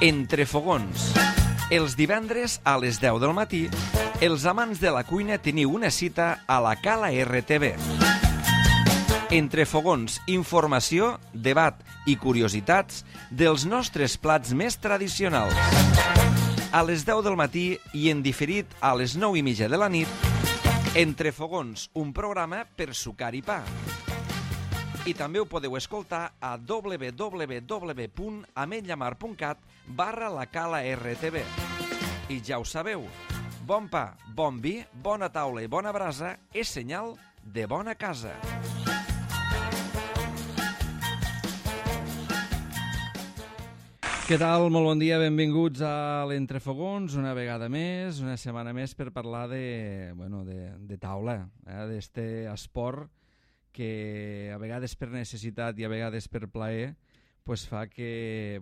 Entre fogons. Els divendres a les 10 del matí, els amants de la cuina teniu una cita a la Cala RTV. Entre fogons, informació, debat i curiositats dels nostres plats més tradicionals. A les 10 del matí i en diferit a les 9:30 de la nit, Entre fogons, un programa per sucar i pa. I també ho podeu escoltar a www.ametlllamar.cat/la Cala RTV. I ja ho sabeu, bon pa, bon vi, bona taula i bona brasa és senyal de bona casa. Què tal? Molt bon dia, benvinguts a l'Entrefogons, una vegada més, una setmana més per parlar de taula, d'este esport que a vegades per necessitat i a vegades per plaer pues fa que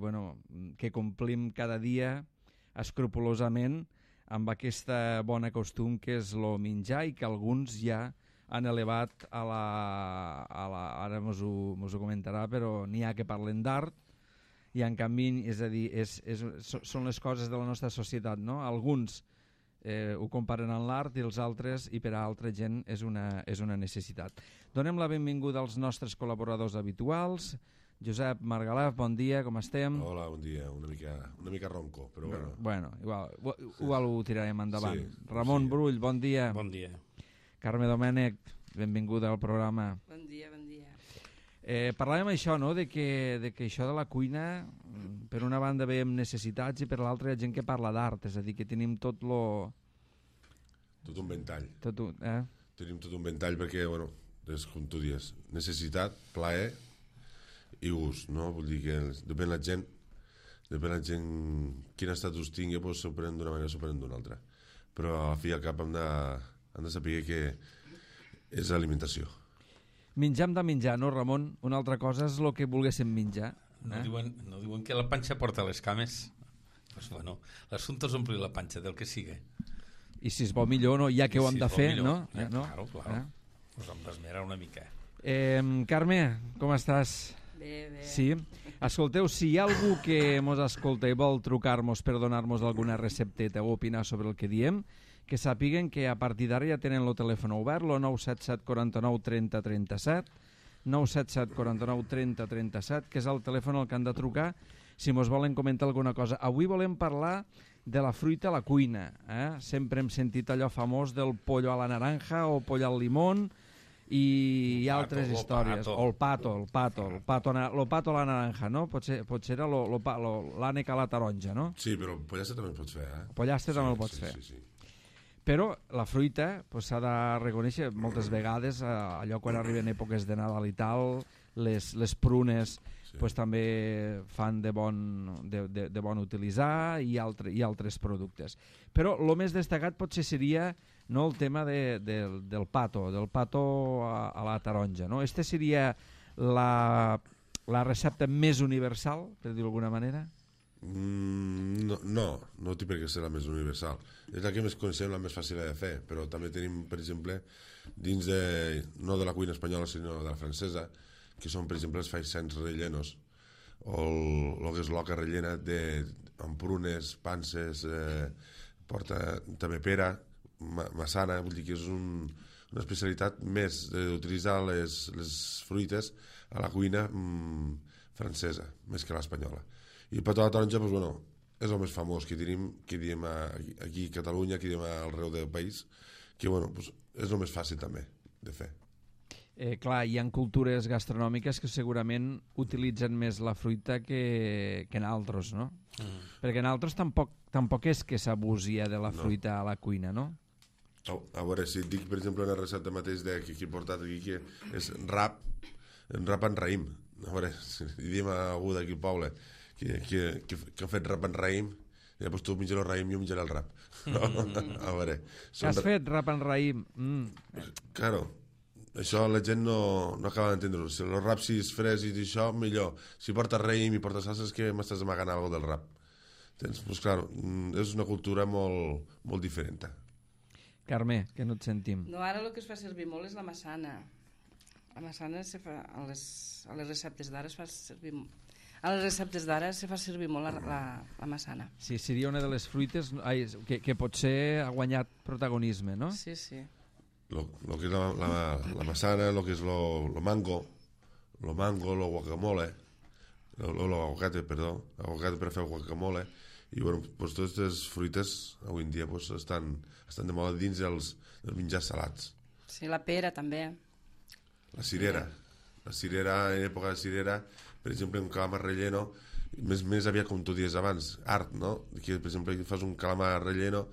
complim cada dia escrupolosament amb aquesta bona costum que és el menjar i que alguns ja han elevat ara mos ho comentarà, però n'hi ha que parlen d'art i en canvi, és a dir, són les coses de la nostra societat, no? Alguns ho comparen amb l'art i els altres, i per a altra gent és una necessitat. Donem la benvinguda als nostres col·laboradors habituals. Josep Margalef, bon dia, com estem? Hola, bon dia, una mica ronco, però bueno. Bueno, igual ho tirarem endavant. Sí, Ramon Brull, bon dia. Bon dia. Carme Domènech, benvinguda al programa. Bon dia, bon dia. Parlàvem això, no?, de que això de la cuina, per una banda veiem necessitats i per l'altra hi ha gent que parla d'art, és a dir, que tenim tot un ventall. Tenim tot un ventall perquè, és com tu dius, necessitat, plaer i gust, no? Vull dir que depèn la gent quin estatus tingui, doncs s'ho prenen d'una manera o s'ho prenen d'una altra. Però a fi i al cap hem de saber que és alimentació. Menjar hem de menjar, no, Ramon? Una altra cosa és el que volguéssim menjar. No diuen que la panxa porta les cames. Pues l'assumpte és omplir la panxa del que sigui. I si es vol millor, no? Ja que ho hem de fer, no? Claro. Pues hem d'esmerar una mica. Carme, com estàs? Bé. Sí? Escolteu, si hi ha algú que mos escolta i vol trucar-nos per donar-nos alguna recepteta o opinar sobre el que diem, que sàpiguen que a partir d'ara ja tenen el telèfon obert, el 977 49 30 37, 977 49 30 37, que és el telèfon al que han de trucar si mos volen comentar alguna cosa. Avui volem parlar de la fruita a la cuina. Sempre hem sentit allò famós del pollo a la naranja o pollo al limón i altres històries. O el pato a la naranja, no? Potser era l'ànec a la taronja, no? Sí, però pollastre també el pots fer, Pollastre també el pots fer. Sí. Però la fruita s'ha de reconèixer moltes vegades, allò quan arriben èpoques de Nadal i tal, les prunes també fan de bon utilitzar i altres productes. Però el més destacat potser seria el tema del pato a la taronja. Este seria la recepta més universal, per dir-ho d'alguna manera? No té per què ser la més universal. És la que més coneixem, la més fàcil de fer, però també tenim, per exemple, dins no de la cuina espanyola sinó de la francesa, que són, per exemple, els faisans rellenos o el que és l'oca rellena amb prunes, panses, porta també pera, massana. Vull dir que és una especialitat més d'utilitzar les fruites a la cuina francesa, més que l'espanyola. I el petó a la taronja, és el més famós que diem aquí a Catalunya, que diem arreu del país, que és el més fàcil també de fer. Clar, hi ha cultures gastronòmiques que segurament utilitzen més la fruita que en altres, no? Perquè en altres tampoc és que s'abusi de la fruita a la cuina, no? A veure, si et dic, per exemple, una recepta mateix que he portat aquí, que és rap en raïm. A veure, si diem a algú d'aquí al poble que ha fet rap en raïm, i llavors tu menges el raïm i jo menjaré el rap. A veure... Que has fet rap en raïm? Claro, això la gent no acaba d'entendre-ho. Si el rap si és fresc i això, millor. Si porta raïm i porta salsa és que m'estàs amagant alguna del rap. Doncs, claro, és una cultura molt diferent. Carme, que no et sentim. No, ara el que es fa servir molt és la massana. La massana se fa a les receptes d'ara es fa servir A les receptes d'ara se fa servir molt la massana. Sí, seria una de les fruites que potser ha guanyat protagonisme, no? Sí, sí. Lo que és la manzana, lo que és lo mango, lo guacamole, lo aguacate, perdó, aguacate per fer guacamole, i bueno, pues totes aquestes fruites avui en dia pues, estan de moda dins dels menjars salats. Sí, la pera també. La cirera, en època de cirera, per exemple, un calamar relleno, més aviat com tu dies abans, art, no? Que, per exemple, fas un calamar relleno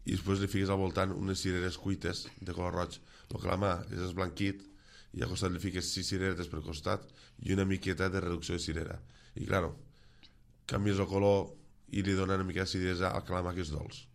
i després li fiques al voltant unes cireres cuites de color roig. El calamar és esblanquit i al costat li fiques 6 cireretes per costat i una miqueta de reducció de cirera. I, claro, canvies el color i li dona una mica d'acidesa al calamar, que és dolç.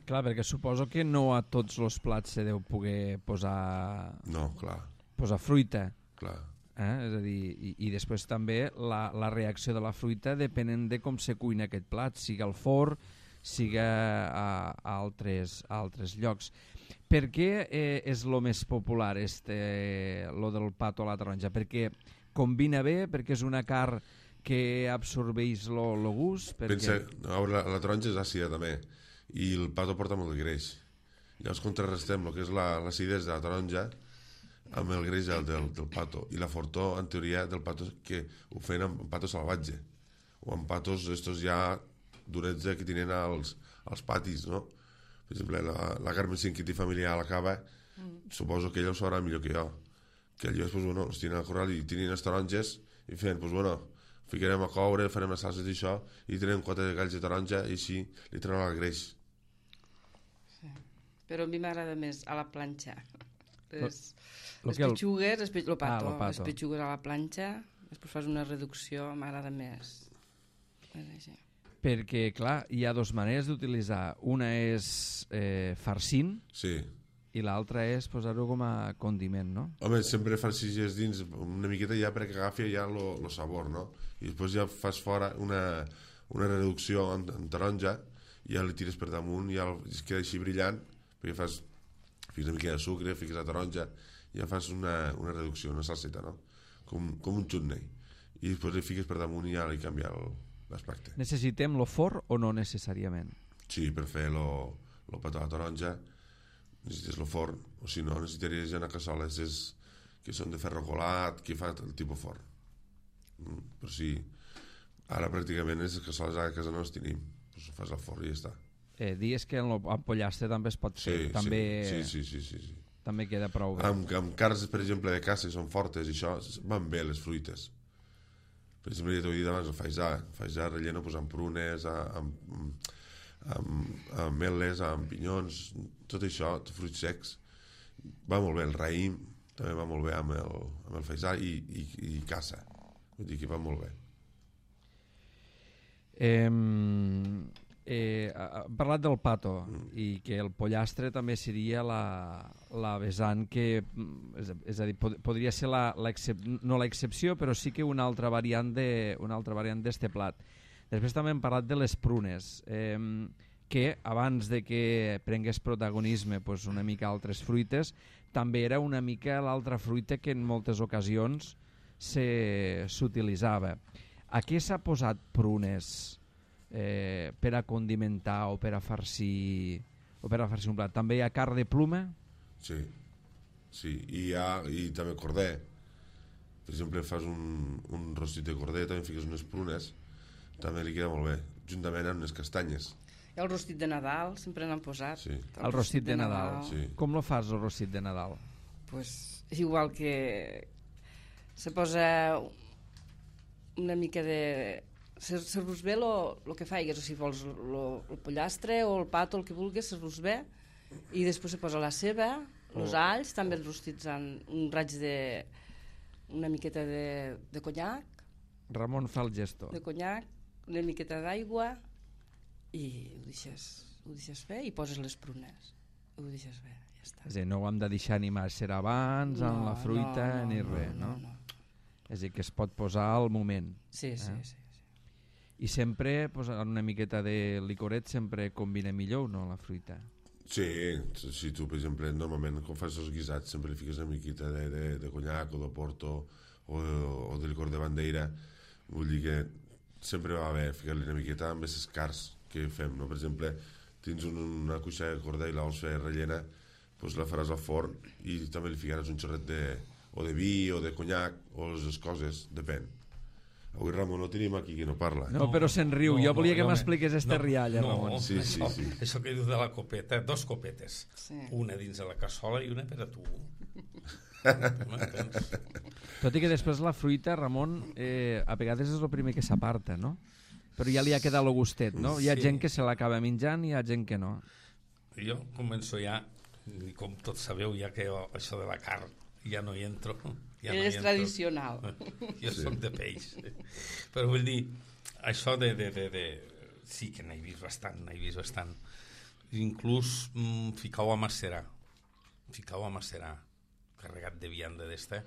Clar, perquè suposo que no a tots els plats se deu poder posar... No, clar. Posar fruita. Clar. És a dir, i després també la reacció de la fruita depenent de com se cuina aquest plat, sigui al forn, sigui a altres llocs. Per què és el més popular lo del pato a la taronja? Perquè combina bé, perquè és una carn que absorbeix el gust? Pensa, la taronja és àcida també, i el pato porta molt de greix. Llavors contrarrestem el que és l'acidesa de la taronja amb el greix del pato, i la fortor, en teoria, del pato que ho feien amb pato salvatge, o amb patos estos ja durets que tenen als patis, no? Per exemple, la Carmen Cinquití familiar a la cava, suposo que ella ho sabrà millor que jo, que ells, pues, bueno, els tenen al corral i tenen les taronges i feien, pues, bueno, ficarem a coure, farem les salses i això, i tenen 4 galls de taronja i així li treuen el greix. Sí. Però a mi m'agrada més a la planxa. Les petxugues, el pato, les petxugues a la planxa, després fas una reducció, m'agrada més. Perquè, clar, hi ha 2 maneres d'utilitzar. Una és farcint, sí, i l'altra és posar-ho com a condiment, no? Home, sempre farcixes dins una miqueta ja perquè agafi ja el sabor, no? I després ja fas fora una reducció en taronja i ja li tires per damunt i ja es queda així brillant, perquè fiques una mica de sucre, fiques la taronja i ja fas una reducció, una salseta, no? Com un chutney. I després li fiques per damunt i ja li canvia l'aspecte. Necessitem lo forn o no necessàriament? Sí, per fer lo pato a la taronja necessites el forn, o si no necessitaries ja una cassola que són de ferro colat, que fa el tipus forn. Però sí, ara pràcticament les cassoles a casa no les tenim, doncs ho fas al forn i ja està. Dies que en pollastre també es pot fer, sí. També queda prou bé. Amb carns, per exemple, de caça, que són fortes i això, van bé les fruites. Per exemple, ja t'ho he dit abans, el faisà relleno amb prunes, amb ametlles, amb pinyons, tot això, fruits secs, va molt bé. El raïm també va molt bé amb el faisà i caça, vull dir que va molt bé. Parlat del pato i que el pollastre també seria la vessant que, és a dir, podria ser no l'excepció, però sí que una altra variant d'este plat. Després també hem parlat de les prunes, que abans de que prengués protagonisme una mica altres fruites, també era una mica l'altra fruita que en moltes ocasions s'utilitzava. A què s'ha posat prunes per a condimentar o per a farcir un plat? També hi ha carn de pluma? Sí, i també corder. Per exemple, fas un rostit de corder, també fiques unes prunes, també li queda molt bé, juntament amb unes castanyes. I el rostit de Nadal, sempre n'han posat. Sí. El rostit de Nadal. Sí. Com lo fas, el rostit de Nadal? Pues igual que se posa una mica de... Servus bé el que faigues, o si vols el pollastre o el pato, el que vulguis, servus bé, i després se posa la ceba, els alls, també els rostits amb un raig de... una miqueta de conyac. Ramon fa el gesto. De conyac, una miqueta d'aigua, i ho deixes fer i poses les prunes. Ho deixes fer, ja està. És a dir, no ho hem de deixar ni massa abans, amb la fruita, ni res, no? És a dir, que es pot posar al moment. Sí. I sempre posar una miqueta de licoret sempre combina millor, no, la fruita? Sí, si tu, per exemple, normalment quan fas els guisats sempre li fiques una miqueta de conyac o de porto o de licor de bandeira, Vull dir que sempre va haver ficar-li una miqueta amb aquests cars que fem, no? Per exemple, tens una cuixa de corda i la vols fer rellena, doncs la faràs al forn i també li ficaràs un xorret o de vi o de conyac o les coses, depèn. Avui Ramon no tenim aquí qui no parla. No, però se'n riu. Jo volia que m'expliqués este rialla, Ramon. Sí. Això que dius de la copeta, 2 copetes. Sí. Una dins de la cassola i una per a tu. Tot i que després la fruita, Ramon, a vegades és el primer que s'aparta, no? Però ja li ha quedat el gustet, no? Hi ha gent que se l'acaba menjant i hi ha gent que no. Jo començo ja, i com tots sabeu, ja que això de la carn ja no hi entro. Ja és tradicional. Jo soc de peix. Però vull dir, això de... Sí que n'he vist bastant. Inclús ficau a macerar, carregat de vianda d'esta,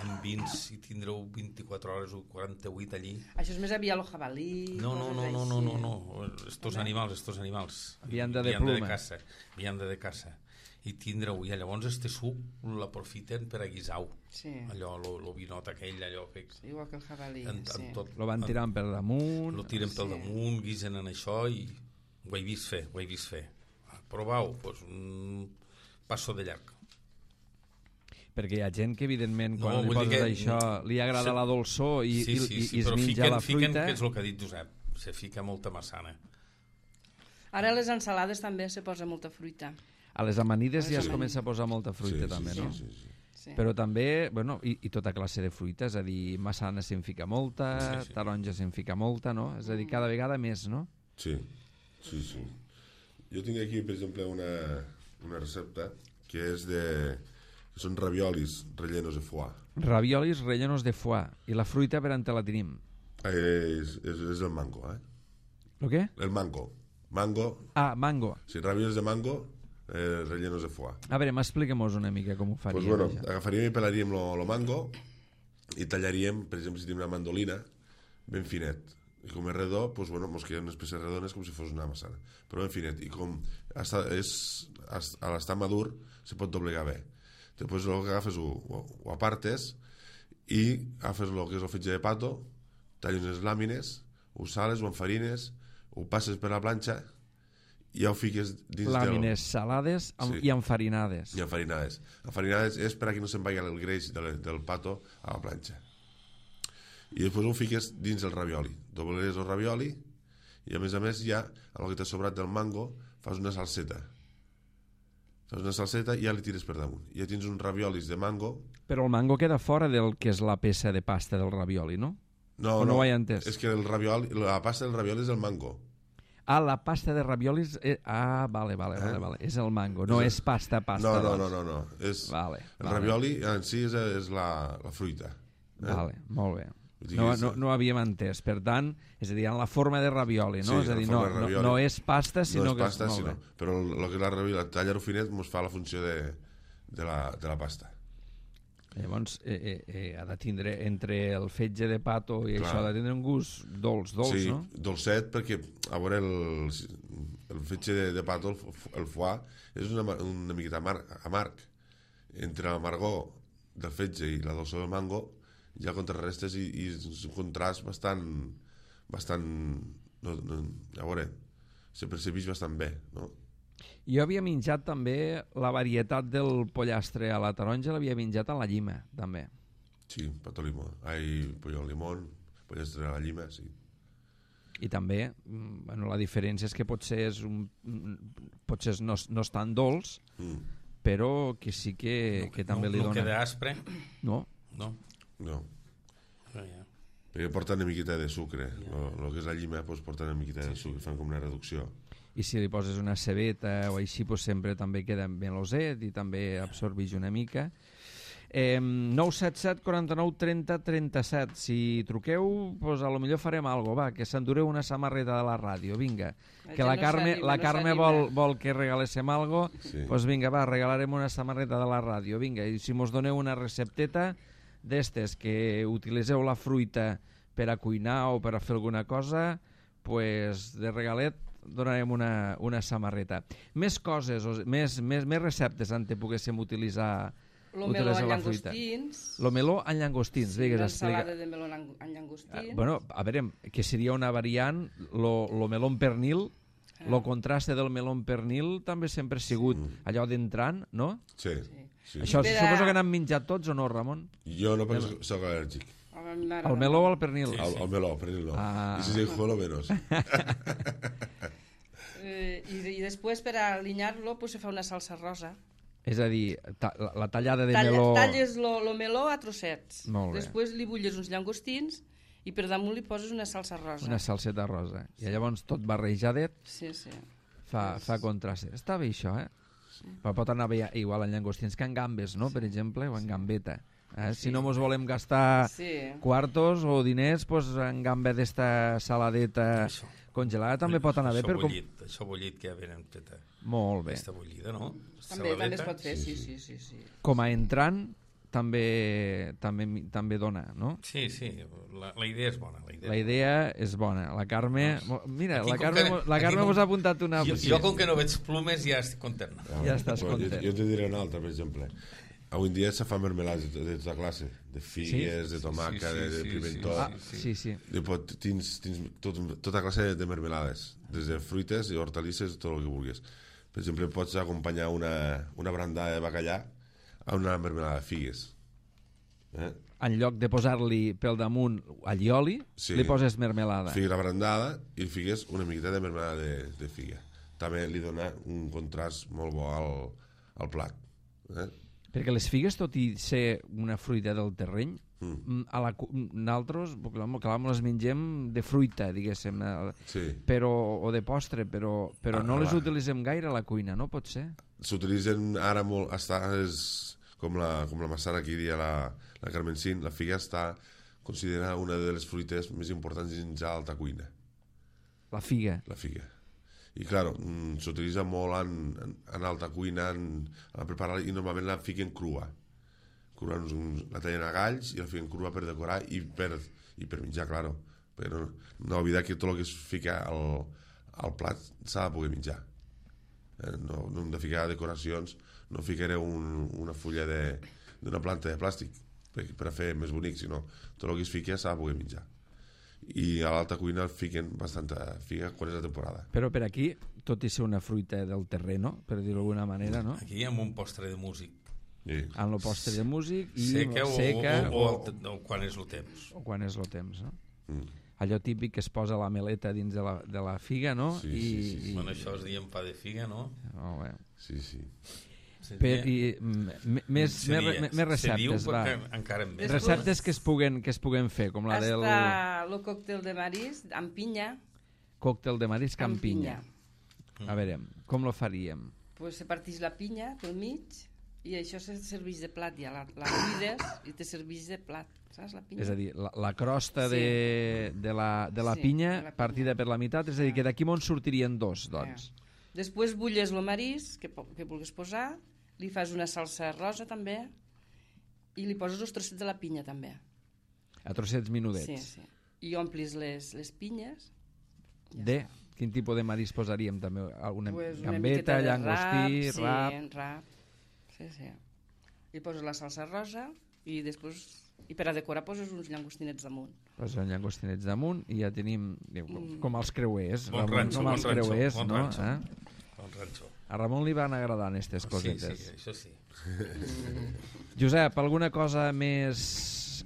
amb vins i tindreu 24 hores o 48 allí. Això és més aviat el jabalí... No. Estos animals. Vianda de pluma. Vianda de caça. I tindreu, i llavors este suc l'aprofiten per a guisar-ho. Sí. Allò, lo vinot aquell, allò que... Igual que el jabalí, sí. Tot, Lo van tirant per damunt. lo tiren pel damunt, guisen en això i ho he vist fer. Provau, doncs passo de llarg. Perquè hi ha gent que, evidentment, quan li vull dir poses que- això, li agrada la dolçor i es però menja la fiquen, fruita. que és el que ha dit Josep, se fica molta massana. Ara a les ensalades també se posa molta fruita. A les amanides ja es Sí. comença a posar molta fruita, també, no? Sí. Sí. Però també, bueno, i tota classe de fruita, és a dir, massana se'n fica molta, Sí. taronja se'n fica molta, no? És a dir, cada vegada més, no? Sí. Jo tinc aquí, per exemple, una recepta que és que són raviolis rellenos de foie. Raviolis rellenos de foie. I la fruita per on te la tenim? És el mango, El què? El mango. Mango, Ah, mango. sí, raviolis de mango rellenos de foie. A veure, m'expliquem-nos una mica com ho faríem. Pues bueno, això. agafaríem i pelaríem lo mango i tallaríem, per exemple, si tenim una mandolina, ben finet. I com és redó, pues bueno, mos queden unes peces redones com si fos una massana. Però ben finet. I com a l'estar madur, se pot doblegar bé. Després el que agafes ho apartes i agafes el que és el fetge de pato, talles unes làmines, ho sales, ho enfarines, ho passes per la planxa i ja ho fiques dins Làmines salades i enfarinades. i enfarinades. Enfarinades és per a que no se'n vagi el greix del pato a la planxa. I després ho fiques dins el ravioli. Doblegues el ravioli i a més ja, amb el que t'ha sobrat del mango, fas una salseta. I ja li tires per damunt. Ja tens uns raviolis de mango. Però el mango queda fora del que és la peça de pasta del ravioli, no? No, O no ho he entès? És que la pasta del ravioli és el mango. Ah, la pasta de raviolis... vale. És el mango, no és pasta. No. doncs. És, Vale. el ravioli en si és la fruita. Vale, molt bé. Vull dir No, que és- no havíem entès. Per tant, és a dir, en la forma de ravioli, no? Sí, És a en dir, forma de ravioli. no és pasta, sinó no és que pasta, és... sinó, però el que és la ravioli, tallar-ho finet, ens fa la funció de la pasta. Llavors, ha de tindre, entre el fetge de pato i Clar. això, ha de tindre un gust dolç, Sí, no? dolcet, perquè, a veure, el fetge de pato, el foie, és una miqueta amarg. Entre l'amargor del fetge i la dolçor del mango, ja contrarrestes i és un contrast bastant a veure, se percebeix bastant bé, no? Jo havia menjat també la varietat del pollastre a la taronja, l'havia menjat a la llima, també. Sí, pato limó. Pollo al limón, pollastre a la llima, sí. I també, bueno, la diferència és que potser no és tan dolç, però que sí que també li no dona... queda aspre, No? no? No, No, ja. perquè porta una miqueta de sucre. El que és la llima doncs, porta una miqueta de sucre, fan com una reducció. I si li poses una cebeta o així, doncs sempre també queda meloset i també absorbeix una mica. 977 49 30 37. Si truqueu, doncs a lo millor farem alguna cosa, va, que s'endureu una samarreta de la ràdio, vinga. Que la Carme vol que regaléssim alguna cosa, Sí. doncs vinga, va, regalarem una samarreta de la ràdio, vinga. I si mos doneu una recepteta d'estes que utilitzeu la fruita per a cuinar o per a fer alguna cosa, pues de regalet donarem una samarreta. Més coses, més receptes en te poguéssim utilitzar Lo meló amb llangostins. Lo meló amb llangostins, Sí, digues, una explica. ensalada de meló amb llangostins. Bueno, a veure, que seria una variant, lo meló amb pernil, lo contraste del meló amb pernil també sempre ha sigut allò d'entrant, no? Sí. Això Per a- suposo que n'han menjat tots o no, Ramon? Jo no, perquè soc al·lèrgic. El meló o el pernil? El meló, pernil no. Ah. I si dic lo menos. I després, per alinyar-lo, pues, se fa una salsa rosa. És a dir, la tallada de meló... Talles lo meló a trossets. Molt bé. Després li bulles uns llangostins i per damunt li poses una salsa rosa. Una salseta rosa. I llavors tot barrejadet Sí, sí. fa contrast. Està bé això, eh? Però pot anar bé igual en llangostins que en gambes, no? Per exemple, o en gambeta. Si no mos volem gastar quartos o diners, pues en gamba d'esta saladeta congelada també pot anar bé. Això bullit que ja venen feta. Molt bé. Aquesta bullida, no? També es pot fer, sí. Com a entrant també dona, no? Sí, la idea és bona. La idea és bona. La Carme... Mira, Aquí, la Carme mos ha apuntat una... Jo com que no veig plumes ja estic content. Ja estàs content. Jo te diré una altra, per exemple. Avui en dia se fa mermelades de tota classe, de figues, de tomàquet, de pimentó. Sí. Tens tota classe de mermelades, des de fruites i hortalisses, tot el que vulguis. Per exemple, pots acompanyar una brandada de bacallà a una mermelada de figues. En lloc de posar-li pel damunt allioli, li poses mermelada. Figues la brandada i figues una miqueta de mermelada de figa. També li dona un contrast molt bo al plat. Perquè les figues, tot i ser una fruita del terreny, nosaltres, clar, les mengem de fruita, diguéssim, o de postre, però no les utilitzem gaire a la cuina, no? Pot ser? S'utilitzen ara molt, com la massana que diria la Carmencín, la figa està considerada una de les fruites més importants dins l'alta cuina. La figa? La figa. I, clar, s'utilitza molt en alta cuina a preparar, i normalment la fiquen crua. La tallen a galls i la fiquen crua per decorar i per menjar, clar. Però no oblidar que tot el que es fica al plat s'ha de poder menjar. No hem de ficar decoracions, no ficaré una fulla d'una planta de plàstic per a fer més bonic, sinó tot el que es fica s'ha de poder menjar. I a l'alta cuina fiquen bastanta figa quan és la temporada. Però per aquí, tot i ser una fruita del terreno, per dir-ho d'alguna manera, no? Aquí hi ha un postre de músic. Sí. En el postre de músic i seca o quan és el temps. O quan és el temps, no? Allò típic que es posa la meleta dins de la figa, no? Sí. Bueno, això es diem pa de figa, no? Molt bé. Sí. Més receptes, va. Receptes que es puguen fer, com la del... Està el còctel de marisc amb pinya. Còctel de marisc amb pinya. A veure, com lo faríem? Pues se partix la pinya pel mig i això se serveix de plat, ja la cuides i te serveix de plat, saps, la pinya? És a dir, la crosta de la pinya partida per la meitat, és a dir, que d'aquí on sortirien dos, doncs. Després bulles el marisc que vulguis posar, li fas una salsa rosa també i li poses els trossets de la pinya també. A trossets menudets. Sí. I omplis les pinyes. De? Quin tipus de marisc posaríem també? Una gambeta, llangostí, rap... Sí, rap. Sí. I poses la salsa rosa i després... I per a decorar poses uns llangostinets damunt. Poses uns llangostinets damunt i ja tenim com els creuers. Bon ranxo. A Ramon li van agradant aquestes cosetes. Sí, això sí. Josep, alguna cosa més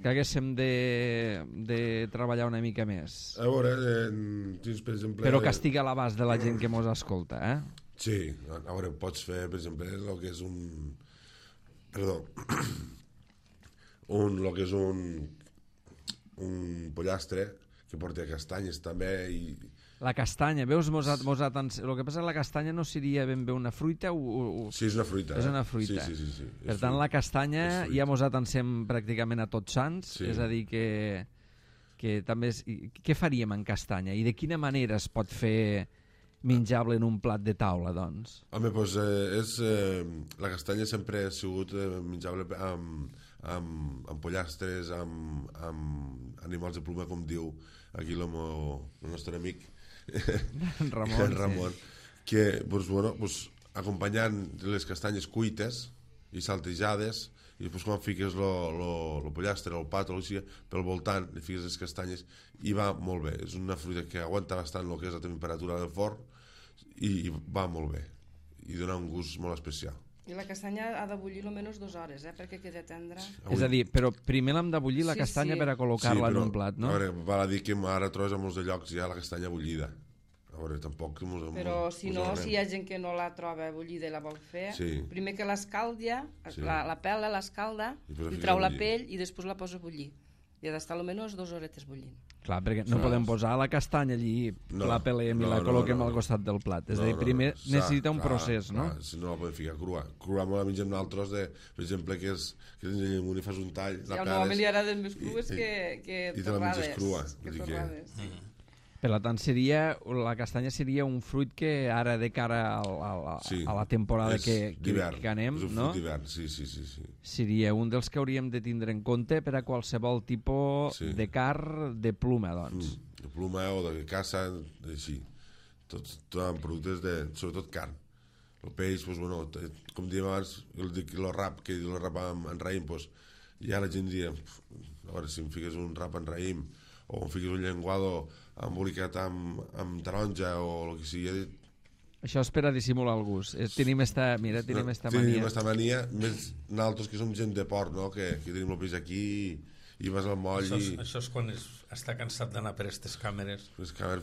que haguéssim de treballar una mica més? A veure, per exemple... Però que estigui a l'abast de la gent que mos escolta, eh? Sí, a veure, pots fer, per exemple, el que és un... Perdó. El que és un pollastre que porta castanyes també i... La castanya, veus? El que passa és que la castanya no seria ben bé una fruita o... Sí, és una fruita. És una fruita. Sí. Per tant, la castanya ja mos atansem pràcticament a Tots Sants, és a dir que també... Què faríem en castanya? I de quina manera es pot fer menjable en un plat de taula, doncs? Home, doncs la castanya sempre ha sigut menjable amb pollastres, amb animals de pluma, com diu aquí el nostre amic Ramon, que acompanyant les castanyes cuites i saltejades i després quan fiques el pollastre, el pa, pel voltant, li fiques les castanyes i va molt bé. És una fruita que aguanta bastant el que és la temperatura del forn i va molt bé i dona un gust molt especial. I la castanya ha de bullir almenys 2 hores, perquè queda tendra. És a dir, però primer l'hem de bullir la castanya per a col·locar-la en un plat, no? A veure, val a dir que ara trobes a molts de llocs ja la castanya bullida. A veure, tampoc... Però si no, si hi ha gent que no la troba bullida i la vol fer, primer que l'escalda, la pela l'escalda, li trau la pell i després la posa a bullir. I ha d'estar almenys 2 horetes bullint. Clar, perquè no podem posar la castanya allí, la pelem i la col·loquem al costat del plat. És a dir, primer necessita un procés, no? Si no la podem ficar crua. Crua la mengem nosaltres, per exemple, que tens el llimón i fas un tall, la peles... I al home li agraden més crues que torrades. I te la menges crua. Per tant, la castanya seria un fruit que ara de cara a la temporada que anem, és un no? fruit d'hivern, sí. Seria un dels que hauríem de tindre en compte per a qualsevol tipus de carn de pluma, doncs. De pluma o de caça, així. Tots productes sobretot carn. El peix, doncs, bueno, com dèiem abans, el rap, que el rap en raïm, doncs, ja la gent diria, a veure, si em fiques un rap en raïm o em fiques un llenguado embolicat amb taronja o el que sigui. Això és per a dissimular el gust. Tenim esta mania. Tenim esta mania, més nosaltres que som gent de port, no? que tenim el peix aquí i vas al moll això és quan està cansat d'anar per aquestes càmeres.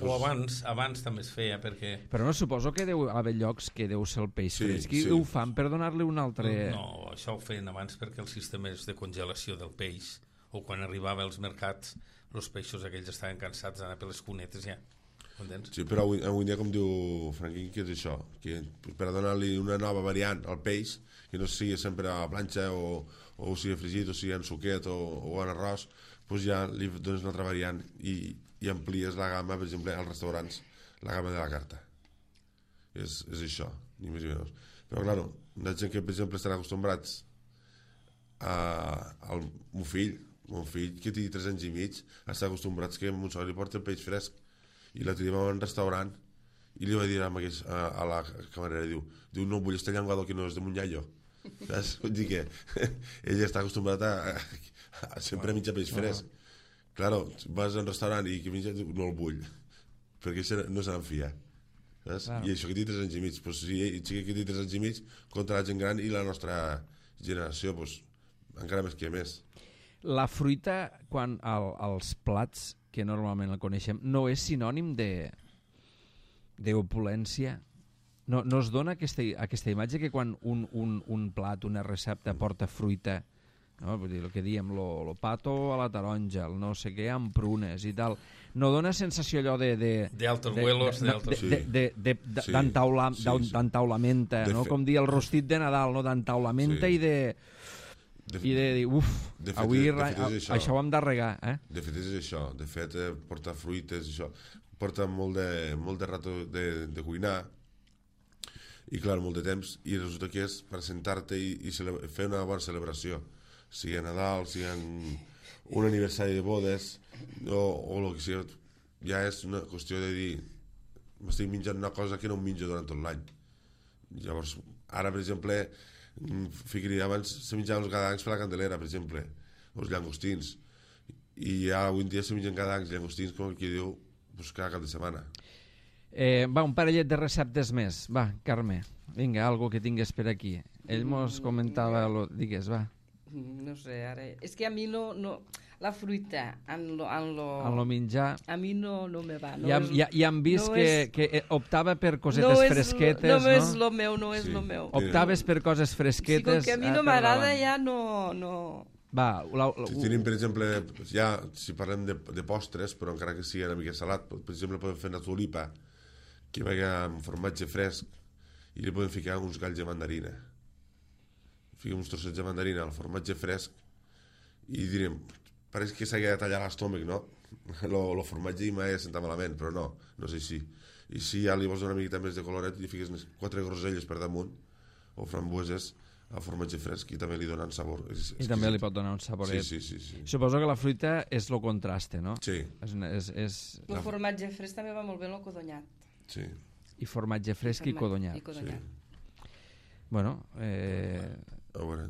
O abans també es feia, perquè... Però no suposo que deu haver llocs que deu ser el peix fresc i ho fan per donar-li un altre... No, això ho feien abans perquè els sistemes de congelació del peix, o quan arribava als mercats, els peixos aquells estaven cansats d'anar per les cunetes ja. Entens? Sí, però avui dia, com diu Franquín, que és això, que per a donar-li una nova variant al peix, que no sigui sempre a la planxa o sigui fregit o sigui en suquet o en arròs, doncs ja li dones una altra variant i amplies la gamma, per exemple, als restaurants, la gamma de la carta. És això, ni més ni menys. Però, clar, hi ha gent que, per exemple, estan acostumbrats al meu fill, que té 3 anys i mig, està acostumbrats que a Montsó li porta el peix fresc, i l'altre dia vam a un restaurant i li va dir a la camarera, diu no vull este llenguado que no és de Munyayo, saps? Vull dir que ell està acostumbrat a sempre menjar peix fresc. Claro, vas a un restaurant i que menja, no el vull, perquè no se n'enfia, saps? I això que té 3 anys i mig, pues, si ell que té 3 anys i mig contra la gent gran i la nostra generació, pues, encara més que més. La fruita, quan als plats que normalment el coneixem, no és sinònim d'opulència? No es dona aquesta imatge que quan un plat, una recepta porta fruita, no? Vull dir, el que diem, lo pato a la taronja, el no sé què, amb prunes i tal, no dona sensació allò d'altos vuelos, d'entaulamenta, no? Com dir el rostit de Nadal, no? D'entaulamenta i de dir, avui això ho hem de regar. De fet és això, de fet portar fruites, això porta molt de rato de cuinar i clar, molt de temps, i resulta que és per sentar-te i fer una bona celebració, sigui a Nadal, sigui un aniversari de bodes o el que sigui, ja és una qüestió de dir m'estic menjant una cosa que no em menjo durant tot l'any. Llavors, ara per exemple ficaria, abans se menjaven els gadancs per la Candelera, per exemple, els llangostins, i ja avui en dia se mengen gadancs, llangostins, com qui diu, pues cada cap de setmana. Va, un parellet de receptes més. Va, Carme, vinga, algo que tingues per aquí. Ell mos comentava, digues, va. No sé, ara... És que a mi no la fruita en lo menjar a mi no me va. Ja hem vist que optava per cosetes fresquetes, no? No és lo meu, no és lo meu. Optaves per coses fresquetes. Sí, com que a mi no m'agrada ja no... Va, tenim, per exemple, ja, si parlem de postres, però encara que sigui una mica salat, per exemple, podem fer una tulipa que vagi amb formatge fresc i li podem ficar uns galls de mandarina. Fiquem uns trossets de mandarina al formatge fresc i direm, pareix que s'hagi de tallar l'estómac, no? El formatge i mai senta malament, però no és així. I si ja li vols donar una miqueta més de coloret, li fiques 4 groselles per damunt o frambueses al formatge fresc i també li donen sabor. I també li pot donar un saboret. Sí. Suposo que la fruita és lo contraste, no? Sí. El formatge fresc també va molt bé el codonyat. Sí. I formatge fresc i codonyat. Sí. Bueno, a veure,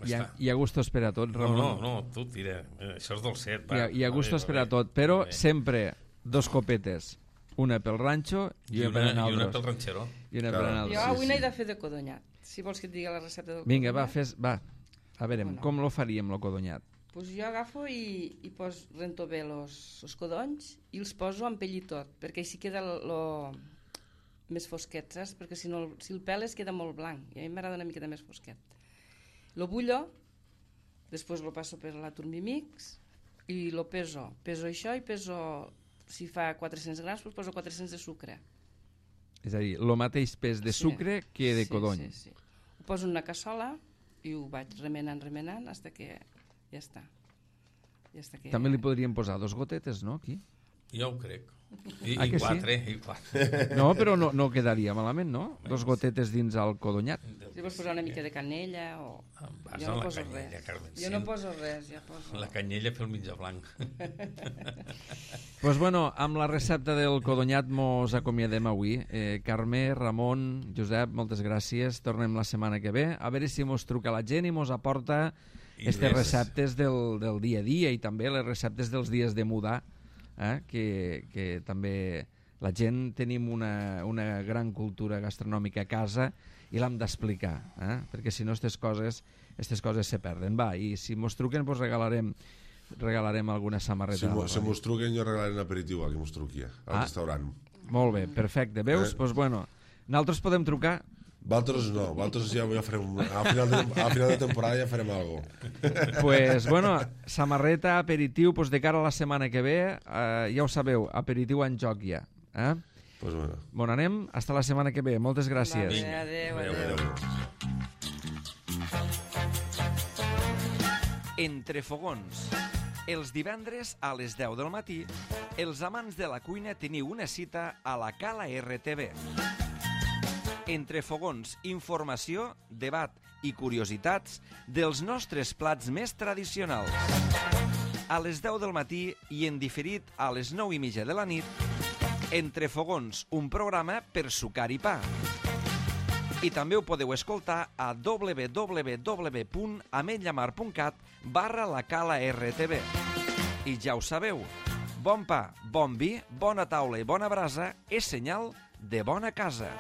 Hi ha gustos per a tot, Ramon. No, tu tira. Això és dolcet. Va. Hi ha gustos per a tot, però sempre 2 copetes. Una pel ranxo i una per I una naltros. pel ranxero. I una per Jo naltros. avui n'he de fer de codonyat. Si vols que et digui la recepta del Vinga, codonyat. va. A veure, Bueno. com lo faríem, lo codonyat? Pues jo agafo i rento bé els codonys i els poso amb pell i tot, perquè així queda més fosquet, saps? Perquè si el peles queda molt blanc, i a mi m'agrada una miqueta més fosquet. Lo bullo, després lo passo per la Turmimix i lo peso. Peso això i peso, si fa 400 grams, pues poso 400 de sucre. És a dir, el mateix pes de sucre que de codony. Sí. Ho poso en una cassola i ho vaig remenant, fins que ja està. També li podríem posar 2 gotetes, no, aquí? Jo ho crec. I que sí? 4. No, però no quedaria malament, no? 2 gotetes dins el codonyat. Si vols posar una mica de canella o... Vas Jo amb no la poso canyella, res. Carmen. Jo no poso res, ja poso... La canyella pel mitjà blanc. Doncs bueno, amb la recepta del codonyat mos acomiadem avui. Carme, Ramon, Josep, moltes gràcies. Tornem la setmana que ve. A veure si mos truca la gent i mos aporta aquestes receptes del dia a dia i també les receptes dels dies de mudar, que també la gent tenim una gran cultura gastronòmica a casa i l'hem d'explicar, perquè si no aquestes coses se perden. Va, i si mos truquen pues regalarem alguna samarreta. Si mos truquen jo regalaré un aperitiu a qui mos truqui, al restaurant. Molt bé, perfecte. Veus? Doncs bueno, nosaltres podem trucar. Vosaltres no, vosaltres ja farem... A final de temporada ja farem alguna cosa. Pues bueno, samarreta, aperitiu, pues de cara a la setmana que ve, ja ho sabeu, aperitiu en joc ja. Pues bueno. Bon, anem, hasta la setmana que ve. Moltes gràcies. Adéu. Entre fogons. Els divendres a les 10 del matí, els amants de la cuina teniu una cita a la Cala RTV. Entre fogons, informació, debat i curiositats dels nostres plats més tradicionals. A les 10 del matí i en diferit a les 9:30 de la nit, Entre fogons, un programa per sucar i pa. I també ho podeu escoltar a www.ametlllamar.cat/la Cala RTV. I ja ho sabeu, bon pa, bon vi, bona taula i bona brasa és senyal de bona casa.